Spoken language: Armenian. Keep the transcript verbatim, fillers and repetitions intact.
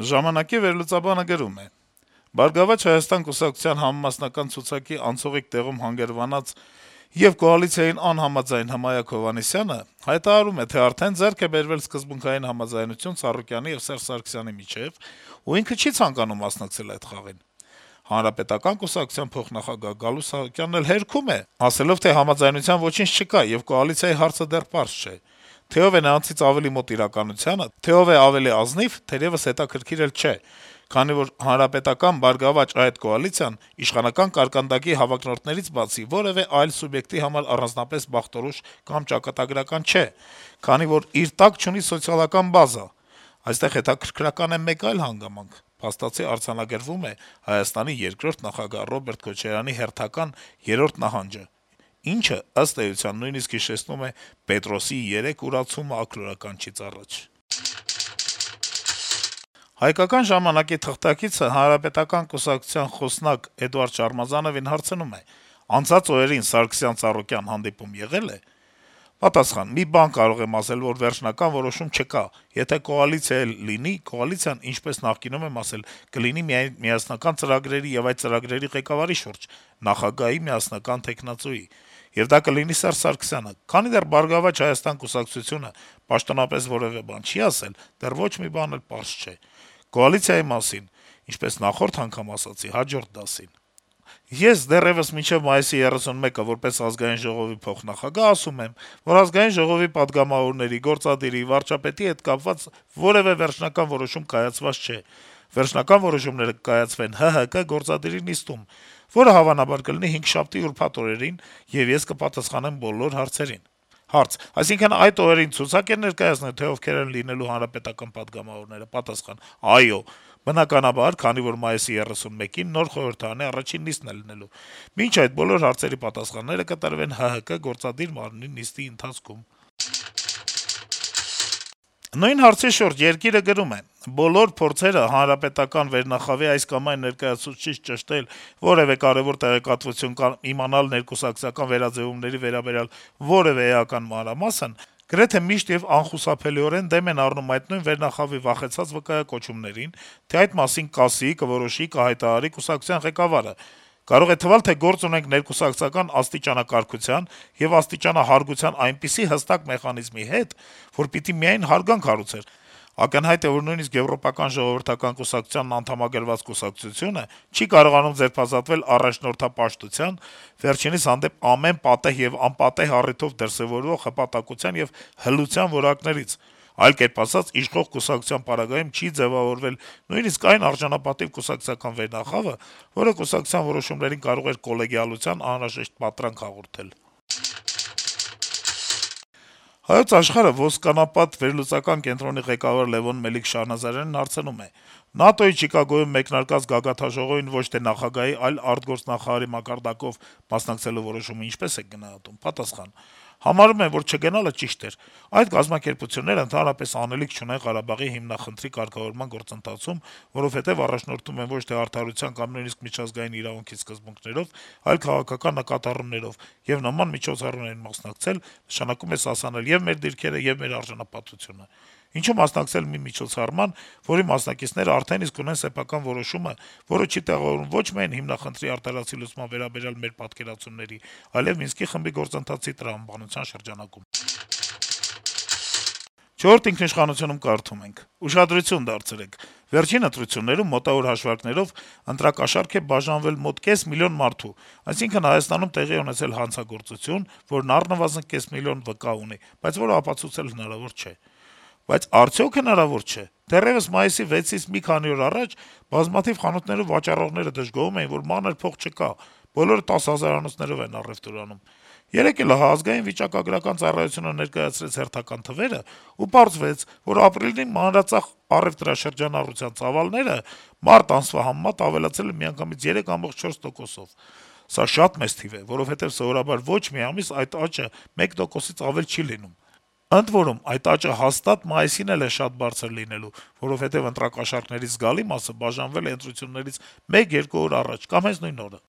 Ժամանակի վերլուծաբանը գրում է. - «Բարգավաճ Հայաստան» կուսակցության համամասնական ցուցակի անցողիկ տեղում հանգրվանած եւ կոալիցիային անհամաձայն Հմայակ Հովհաննիսյանը հայտարարում է, թե արդեն ձեռք է բերվել սկզբունքային համաձայնություն Ծառուկյանի եւ Սերժ Սարգսյանի միջեւ, ու ինքը չի ցանկանում մասնակցել այդ խաղին: Հանրապետական կուսակցության փոխնախագահ Գալուստ Սահակյանն էլ հերքում է, ասելով, թե համաձայնության ոչինչ չկա, եւ կոալիցիայի հարցը դեռ պարզ չէ: Թե ով է նրանցից ավելի մոտ իրականությանը, թե ով է ավելի ազնիվ, թերեւս հետաքրքիր էլ չէ, քանի որ ՀՀԿ-ԲՀԿ-այդ կոալիցիան իշխանական կարկանդակի հավակնորդներից բացի որեւէ այլ սուբյեկտի համար առանձնապես բախտորոշ կամ ճակատագրական չէ, քանի որ իր տակ չունի սոցիալական բազա: Այստեղ հետաքրքրական է մեկ այլ հանգամանք. փաստացի արձանագրվում է Հայաստանի երկրորդ նախագահ Ռոբերտ Քոչարյանի հերթական երրորդ նահանջը, ինչը, ըստ էության, նույնիսկ հիշեցնում է Պետրոսի երեք ուրացումը աքլորականչից առաջ»: «Հայկական ժամանակ»-ի թղթակիցը Հանրապետական կուսակցության խոսնակ Էդուարդ Շարմազանովին հարցնում է. - «Անցած օրերին Սարգսյան-Ծառուկյան հանդիպում եղե՞լ է»: Պատասխան. - «Մի բան կարող եմ ասել, որ վերջնական որոշում չկա: Եթե կոալիցիա էլ լինի, կոալիցիան, ինչպես նախկինում եմ ասել, կլինի միայն միասնական ծրագրերի եւ այդ ծրագրերի ղեկավարի շուրջ, նախագահի միասնական թեկնածուի: Եվ դա կլինի Սերժ Սարգսյանը: Քանի դեռ «Բարգավաճ Հայաստան» կուսակցությունը պաշտոնապես որեւէ բան չի ասել, դեռ ոչ մի բան էլ պարզ չէ: Կոալիցիայի մասին, ինչպես նախորդ անգամ ասացի, հաջորդ դասին: Ես դեռեւս մինչեւ մայիսի երեսունմեկը որպես Ազգային ժողովի փոխնախագահ ասում եմ, որ Ազգային ժողովի պատգամավորների, գործադիրի, վարչապետի հետ կապված որեւէ վերջնական որոշում կայացված չէ: Վերջնական որոշումները կկայացվեն ՀՀԿ գործադիրի նիստում, որը հավանաբար կլինի հինգշաբթի ուրբաթ օրերին, եւ ես կպատասխանեմ բոլոր հարցերին»: Հարց. - Այսինքն այդ օրերին ցուցակ են ներկայացնելու, թե ովքեր են լինելու հանրապետական պատգամավորները: Պատասխան. - Այո, բնականաբար, քանի որ մայիսի երեսունմեկին նոր խորհրդարանի առաջին նիստն է լինելու: Մինչ այդ բոլոր հարցերի պատասխանները կտրվեն ՀՀԿ գործադիր մարմնի նիստի ընթացքում»: Նույն հարցի շուրջ «Երկիր»-ը գրում է. - «Բոլոր փորձերը հանրապետական վերնախավի այս կամ այն ներկայացուցչից ճշտել որեւէ կարեւոր տեղեկատվություն կամ իմանալ ներկուսակցական վերաձեւումների վերաբերյալ որեւէ էական մանրամասն գրեթե միշտ եւ անխուսափելիորեն դեմ են առնում այդ նույն վերնախավի վախեցած վկայակոչումներին, թե այդ մասին կասի, կորոշի, կհայտարարի կուսակցության ղեկավարը: Կարող է թվալ, թե գործ ունենք ներկուսակցական աստիճանակարգության եւ աստիճանահարգության այնպիսի հստակ մեխանիզմի հետ, որ պիտի միայն հարգանք հարուցեր: Ակնհայտ է, որ նույնիսկ Եվրոպական ժողովրդական կուսակցությանն անդամակցված կուսակցությունը չի կարողանում ձերբազատվել առաջնորդապաշտության, վերջինիս հանդեպ ամեն պատեհ եւ անպատեհ առիթով դրսեւորվող հպատակության եւ հլության որակներից: Այլ կերպ ասած, իշխող կուսակցության պարագայում չի ձեւավորվել նույնիսկ այն արժանապատիվ կուսակցական վերնախավը, որը կուսակցության որոշումներին կարող էր կոլեգիալության անհրաժեշտ պատրանք հաղորդել»: «Հայոց Աշխարհ»-ը Ոսկանապատ վերլուծական կենտրոնի ղեկավար Լեւոն Մելիք-Շահնազարյանին հարցնում է. - «ՆԱՏՕ-ի Չիկագոյում մեկնարկած գագաթնաժողովին ոչ թե նախագահի, այլ արտգործնախարարի մակարդակով մասնակցելու որոշումը ինչպե՞ս եք գնահատում»: Պատասխան. - «Համարում եմ, որ չգնալը ճիշտ էր: Այդ կազմակերպությունները ընդհանրապես անելիք չունեն Ղարաբաղի հիմնախնդրի կարգավորման գործընթացում, որովհետեւ առաջնորդվում են ոչ թե արդարության կամ նույնիսկ միջազգային իրավունքի սկզբունքներով, այլ քաղաքական նկատառումներով, եւ նման միջոցառումներին մասնակցել նշանակում է սասանել ե՛ւ մեր դիրքերը, ե՛ւ մեր արժանապատվությունը: Ինչու մասնակցել մի միջոցառման, որի մասնակիցներն արդեն իսկ ունեն սեփական որոշումը, որը չի տեղավորվում ոչ միայն հիմնախնդրի արդարացի լուծման վերաբերյալ մեր պատկերացումների, այլեւ Մինսկի խմբի գործընթացի տրամաբանության շրջանակում»: «Չորրորդ ինքնիշխանություն»-ում կարդում ենք. - «Ուշադրություն դարձրեք. վերջին ընտրություններում, մոտավոր հաշվարկներով, ընտրակաշառք է բաժանվել մոտ կես միլիոն մարդու, այսինքն Հայաստանում տեղի է ունեցել հանցագործություն, որն առնվազն կես միլիոն վկա ունի, բայց որը ապացուցել հնարավոր չէ: Բայց արդյո՞ք հնարավոր չէ: Դեռեւս մայիսի վեցից մի քանի օր առաջ բազմաթիվ խանութներում վաճառողները դժգոհում էին, որ մանր փող չկա, բոլորը տասը հազարանոցներով են առեւտուր անում: Երեկ էլ ահա Ազգային վիճակագրական ծառայությունը ներկայացրեց հերթական թվերը, ու պարզվեց, որ ապրիլին մանրածախ առեւտրաշրջանառության ծավալները մարտ ամսվա համեմատ ավելացել են միանգամից երեք կόμ չորս տոկոսով: Սա շատ մեծ թիվ է, որովհետեւ սովորաբար ոչ մի ամիս այդ աճը մեկ տոկոսից ավել չի լինում: Ընդ որում, այդ աճը հաստատ մայիսին էլ է շատ բարձր լինելու, որովհետեւ ընտրակաշառքների զգալի մասը բաժանվել է ընտրություններից մեկ-երկու օր առաջ կամ հենց նույն օրը»: